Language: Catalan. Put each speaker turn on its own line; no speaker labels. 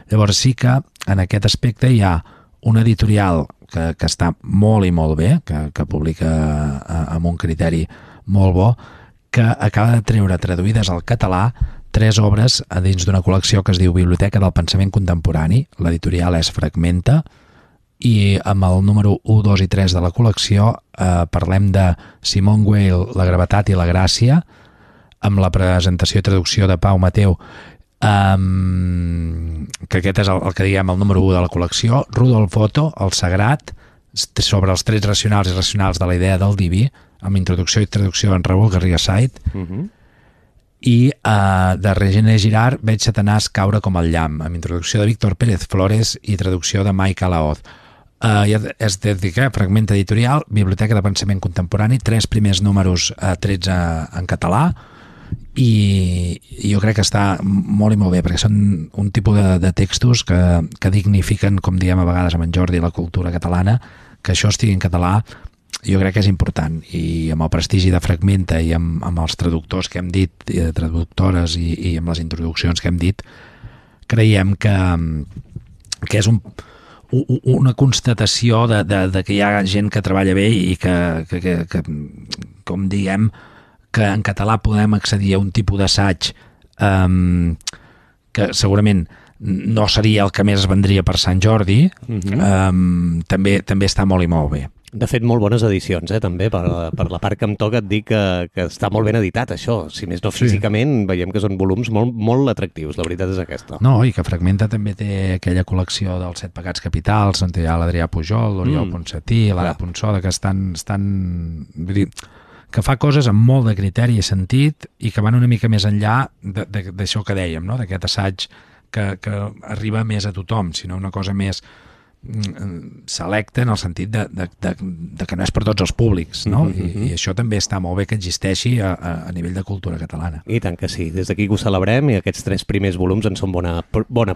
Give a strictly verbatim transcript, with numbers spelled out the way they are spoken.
Llavors sí que en aquest aspecte hi ha una editorial que, que està molt i molt bé, que, que publica amb un criteri molt bo, que acaba de treure traduïdes al català tres obres dins d'una col·lecció que es diu Biblioteca del Pensament Contemporani. L'editorial és Fragmenta, i amb el número u, dos i tres de la col·lecció eh, parlem de Simone Weil, La gravetat i la gràcia, amb la presentació i traducció de Pau Mateu, um, que aquest és el, el que diguem el número u de la col·lecció, Rudolf Otto, El sagrat, sobre els trets racionals i irracionals de la idea del diví, amb introducció i traducció en Raül Garriga Saiz, uh -huh. i uh, de Regine Girard, Veig Satanàs caure com el llamp, amb introducció de Víctor Pérez Flores i traducció de Mike Alaoz. Uh, és dedicat, Fragment editorial, Biblioteca de Pensament Contemporani, tres primers números, uh, tretze en català, i jo crec que està molt i molt bé, perquè són un tipus de, de textos que, que dignifiquen, com diem a vegades amb en Jordi, la cultura catalana. Que això estigui en català jo crec que és important, i amb el prestigi de Fragmenta i amb, amb els traductors que hem dit, i traductores i, i amb les introduccions que hem dit, creiem que, que és un, una constatació de, de, de que hi ha gent que treballa bé i que, que, que, que com diguem, que en català podem accedir a un tipus d'assaig um, que segurament no seria el que més es vendria per Sant Jordi, uh-huh. um, també, també està molt i molt bé.
De fet, molt bones edicions, eh, també, per, per la part que em toca et dic que, que està molt ben editat, això. Si més no físicament, sí. Veiem que són volums molt, molt atractius, la veritat és aquesta.
No, i que Fragmenta també té aquella col·lecció dels set pecats capitals, on hi ha l'Adrià Pujol, l'Oriol mm. Ponsatí, l'Ara Ponsoda, que estan... estan vull dir, que fa coses amb molt de criteri i sentit i que van una mica més enllà d'això que dèiem, no? D'aquest assaig que, que arriba més a tothom, sinó una cosa més selecta en el sentit de, de, de, de que no és per tots els públics, no? Uh-huh. I, i això també està molt bé que existeixi a, a nivell de cultura catalana.
I tant que sí, des d'aquí que ho celebrem, i aquests tres primers volums en són bona, bona